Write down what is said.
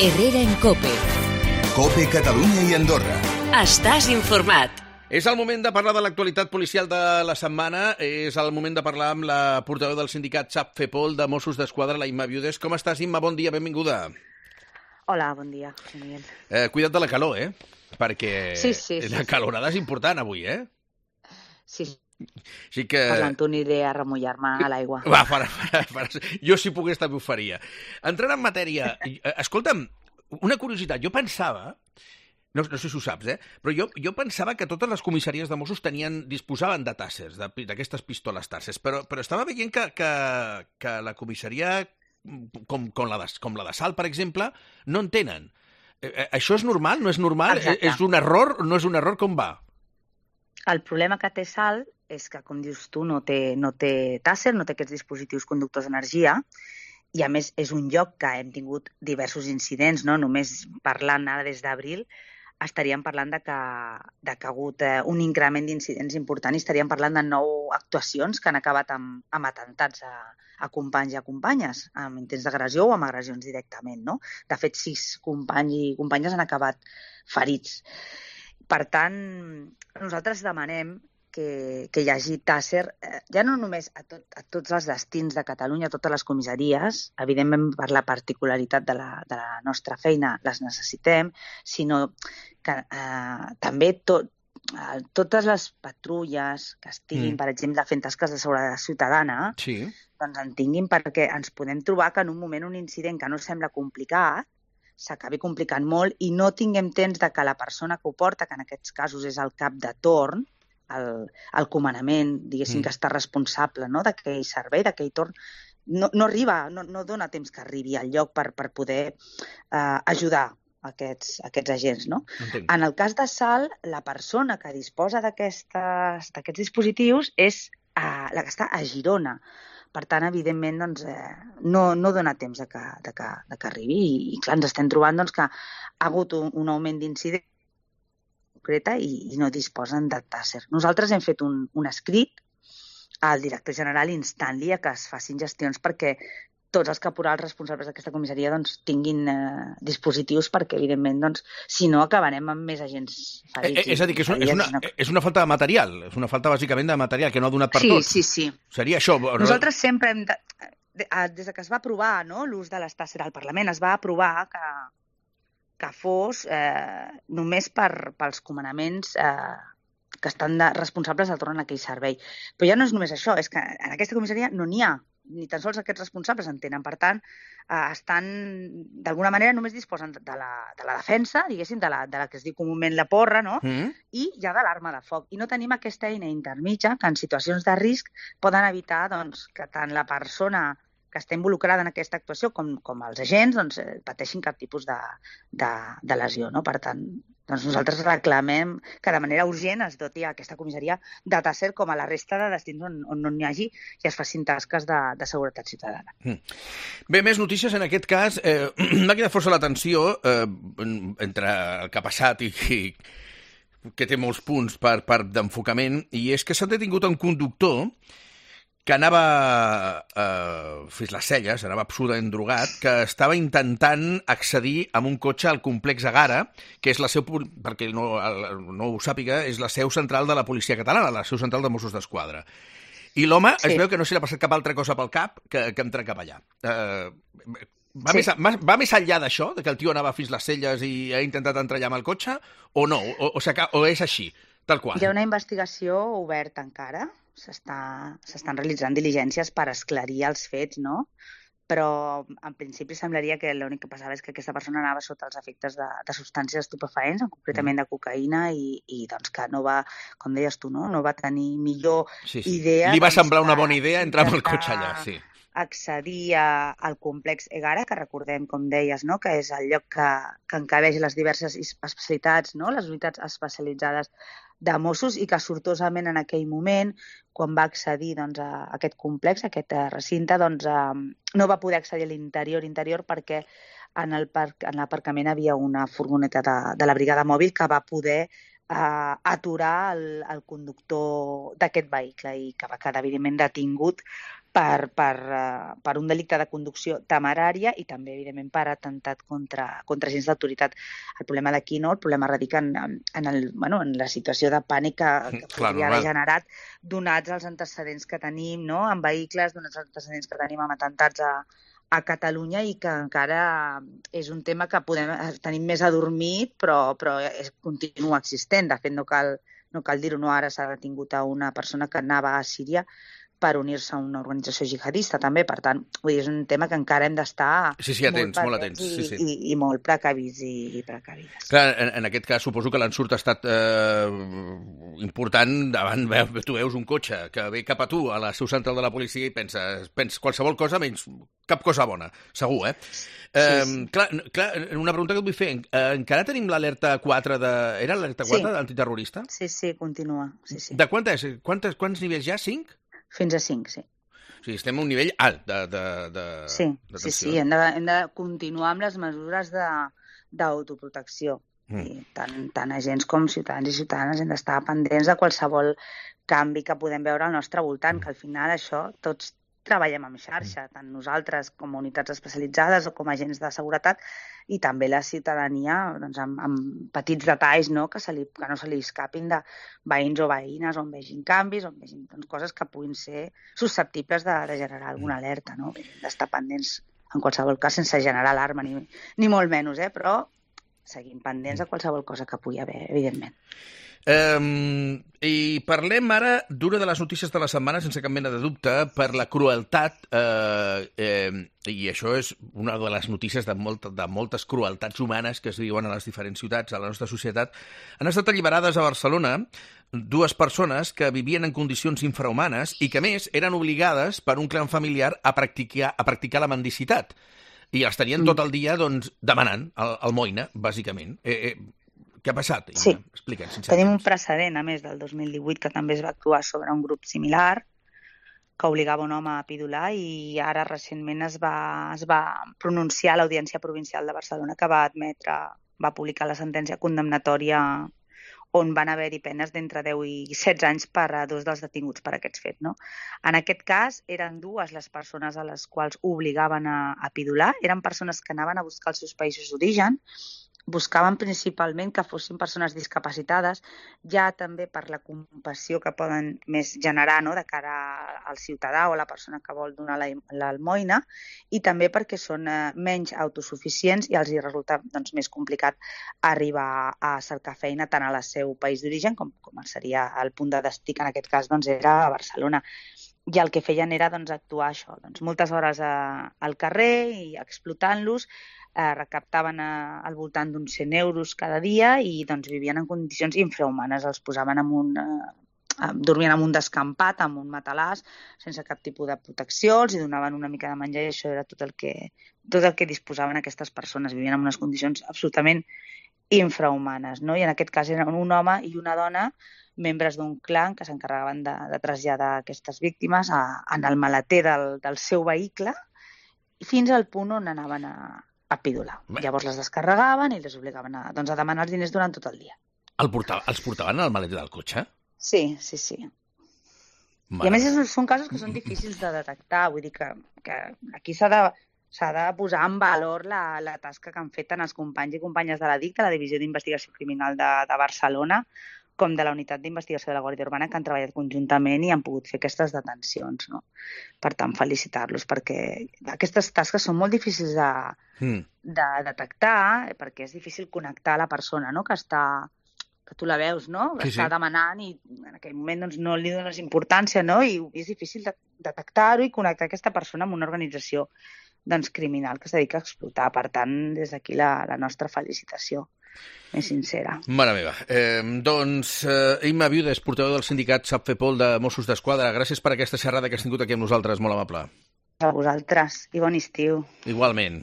Herrera en COPE. COPE Catalunya i Andorra. Estàs informat. És el moment de parlar de l'actualitat policial de la setmana. És el moment de parlar amb la portaveu del sindicat SAPFEPOL de Mossos d'Esquadra, la Imma Viudes. Com estàs, Imma? Bon dia, benvinguda. Hola, bon dia. Cuida't de la calor, Perquè Sí. la calorada és important avui, Sí, Així que... parlant aniré a remullar-me a l'aigua. Va, jo si pogués també ho faria. Entrant en matèria, escolta'm, una curiositat, jo pensava, no sé si ho saps, però jo pensava que totes les comissaries de Mossos disposaven de tàssers, d'aquestes pistoles tàssers, però estava veient que la comissaria, com la de Salt, per exemple, no en tenen. Això és normal? No és normal? Exacte. És un error? No és un error? Com va? El problema que té Salt és que, com dius tu, no té tàsser, no té aquests dispositius conductors d'energia, i a més és un lloc que hem tingut diversos incidents, no? Només parlant ara des d'abril, estaríem parlant de que ha hagut un increment d'incidents important i estaríem parlant de 9 actuacions que han acabat amb atemptats a companys i a companyes, amb intents d'agressió o amb agressions directament, no? De fet, 6 companys i companyes han acabat ferits. Per tant, nosaltres demanem que hi hagi tàsser, ja no només a tots els destins de Catalunya, a totes les comissaries, evidentment per la particularitat de la nostra feina les necessitem, sinó que també totes les patrulles que estiguin, per exemple, fent tasques de seguretat ciutadana, doncs en tinguin, perquè ens podem trobar que en un moment un incident que no sembla complicat s'acabi complicant molt i no tinguem temps de que la persona que ho porta, que en aquests casos és el cap de torn, el comandament, diguéssim, que està responsable, no?, d'aquell servei, d'aquell torn, no arriba, no dona temps que arribi al lloc per poder ajudar aquests agents, no? Entenc. En el cas de Salt, la persona que disposa d'aquests dispositius és la que està a Girona. Per tant, evidentment, doncs, no dona temps de que arribi i clar, ens estem trobant doncs, que ha hagut un augment d'incidents concreta i no disposen de tàsser. Nosaltres hem fet un escrit al director general instant-li a que es facin gestions perquè tots els caporals responsables d'aquesta comissaria doncs, tinguin dispositius perquè, evidentment, doncs, si no, acabarem amb més agents ferits. És a dir, que és una falta de material, és una falta bàsicament de material que no ha donat per tot. Sí. Seria això. Nosaltres sempre hem des que es va aprovar, no, l'ús de les tàsser al Parlament, es va aprovar que fos només pels comandaments que estan responsables del torn en aquell servei. Però ja no és només això, és que en aquesta comissaria no n'hi ha, ni tan sols aquests responsables en tenen. Per tant, estan, d'alguna manera, només disposen de la defensa, diguéssim, de la que es diu comúment la porra, no? I ja de l'arma de foc. I no tenim aquesta eina intermitja que en situacions de risc poden evitar doncs, que tant la persona que està involucrada en aquesta actuació com els agents doncs, pateixin cap tipus de lesió, no? Per tant, doncs nosaltres reclamem que de manera urgent es doti a aquesta comissaria de tàsser com a la resta de destins on no n'hi hagi i es facin tasques de seguretat ciutadana. Bé, més notícies en aquest cas. M'ha cridat força l'atenció entre el que ha passat i que té molts punts d'enfocament, i és que s'ha detingut un conductor que anava fins les celles, anava absolutament drogat, que estava intentant accedir amb un cotxe al complex Egara, que és la seu, perquè no ho sàpiga, és la seu central de la policia catalana, la seu central de Mossos d'Esquadra. I l'home es veu que no se li ha passat cap altra cosa pel cap que entrar cap allà. Va més enllà d'això, que el tio anava fins les celles i ha intentat entrar allà amb el cotxe, o no? O és així, tal qual? Hi ha una investigació oberta encara, s'estan realitzant diligències per esclarir els fets, no? Però en principi semblaria que l'únic que passava és que aquesta persona anava sota els efectes de substàncies estupefaents, concretament de cocaïna, i doncs que no va, com deies tu, no va tenir millor idea... Li va semblar una bona idea entrar amb el cotxe allà, sí. Accedir al complex Egara, que recordem, com deies, no? Que és el lloc que encabeix les diverses especialitats, no? Les unitats especialitzades de Mossos, i que sortosament en aquell moment, quan va accedir doncs, a aquest complex, a aquest recinte, doncs, no va poder accedir a l'interior perquè en l'aparcament havia una furgoneta de la brigada mòbil que va poder aturar el conductor d'aquest vehicle i que va quedar evidentment detingut per un delicte de conducció temerària i també, evidentment, per atemptat contra agents d'autoritat. El problema d'aquí, no? El problema radica en la situació de pànic que podria haver generat, donats els antecedents que tenim, no? En vehicles, donats els antecedents que tenim amb atemptats a Catalunya i que encara és un tema que tenim més adormit, però continua existent. De fet, no cal dir-ho, no? Ara s'ha detingut a una persona que anava a Síria per unir-se a una organització jihadista, també. Per tant, vull dir, és un tema que encara hem d'estar molt atents, i molt precavits i precavides. Clar, en aquest cas suposo que l'ensurt ha estat important davant, tu veus un cotxe que ve cap a tu, a la seu central de la policia, i penses qualsevol cosa menys cap cosa bona, segur, eh? Sí. Clar, una pregunta que et vull fer. Encara tenim l'alerta 4 era l'alerta 4 d'antiterrorista? Sí, continua. Sí. De quanta és? Quants nivells ja? 5? Fins a 5, sí. O sigui, estem a un nivell alt de Sí, hem de continuar amb les mesures d'autoprotecció. I tant agents com ciutadans i ciutadanes hem d'estar pendents de qualsevol canvi que podem veure al nostre voltant, que al final això tots treballem en xarxa, tant nosaltres com a unitats especialitzades o com a agents de seguretat, i també la ciutadania, doncs, amb petits detalls, no? Que no se li escapin de veïns o veïnes on vegin canvis, on vegin coses que puguin ser susceptibles de generar alguna alerta, no? D'estar pendents en qualsevol cas sense generar alarma, ni molt menys, però seguim pendents de qualsevol cosa que pugui haver, evidentment. I parlem ara d'una de les notícies de la setmana, sense cap mena de dubte, per la crueltat, i això és una de les notícies de moltes crueltats humanes que es viuen a les diferents ciutats de la nostra societat. Han estat alliberades a Barcelona 2 persones que vivien en condicions infrahumanes i que, a més, eren obligades per un clan familiar a practicar la mendicitat. I els tenien tot el dia demanant almoina, bàsicament. Què ha passat? Sí, Explica'ns. Tenim un precedent, a més, del 2018, que també es va actuar sobre un grup similar, que obligava un home a pidolar, i ara recentment es va pronunciar a l'Audiència Provincial de Barcelona, que va publicar la sentència condemnatòria on van haver-hi penes d'entre 10 i 16 anys per a 2 dels detinguts per aquests fets, no? En aquest cas, eren 2 les persones a les quals obligaven a pidolar. Eren persones que anaven a buscar els seus països d'origen, buscaven principalment que fossin persones discapacitades, ja també per la compassió que poden més generar, no?, de cara al ciutadà o a la persona que vol donar l'almoina, i també perquè són menys autosuficients i els hi resulta més complicat arribar a cercar feina tant a la seu país d'origen com seria el punt de destí, que en aquest cas era a Barcelona. I el que feien era actuar això, moltes hores al carrer i explotant-los, recaptaven al voltant d'uns 100 euros cada dia i vivien en condicions infrahumanes. Els posaven dormien en un descampat, amb un matalàs, sense cap tipus de protecció, els donaven una mica de menjar i això era tot el que disposaven aquestes persones. Vivien en unes condicions absolutament infrahumanes, no? I en aquest cas eren un home i una dona, membres d'un clan que s'encarregaven de traslladar aquestes víctimes en el maleter del seu vehicle fins al punt on anaven a pidolar. Llavors les descarregaven i les obligaven a demanar els diners durant tot el dia. Els portaven al maleter del cotxe? Sí. I a més són casos que són difícils de detectar, vull dir que aquí s'ha de posar en valor la tasca que han fet tant els companys i companyes de la DIC, de la Divisió d'Investigació Criminal de Barcelona, com de la Unitat d'Investigació de la Guàrdia Urbana, que han treballat conjuntament i han pogut fer aquestes detencions, no? Per tant, felicitar-los, perquè aquestes tasques són molt difícils de detectar, perquè és difícil connectar la persona, no?, que tu la veus, no?, que està demanant i en aquell moment no li dones importància, no?, i és difícil detectar-ho i connectar aquesta persona amb una organització criminal que es dedica a explotar. Per tant, des d'aquí la nostra felicitació més sincera. Mare meva. Imma Viudes, portaveu del sindicat SAPFEPOL de Mossos d'Esquadra, gràcies per aquesta xerrada que has tingut aquí amb nosaltres, molt amable. A vosaltres, i bon estiu. Igualment.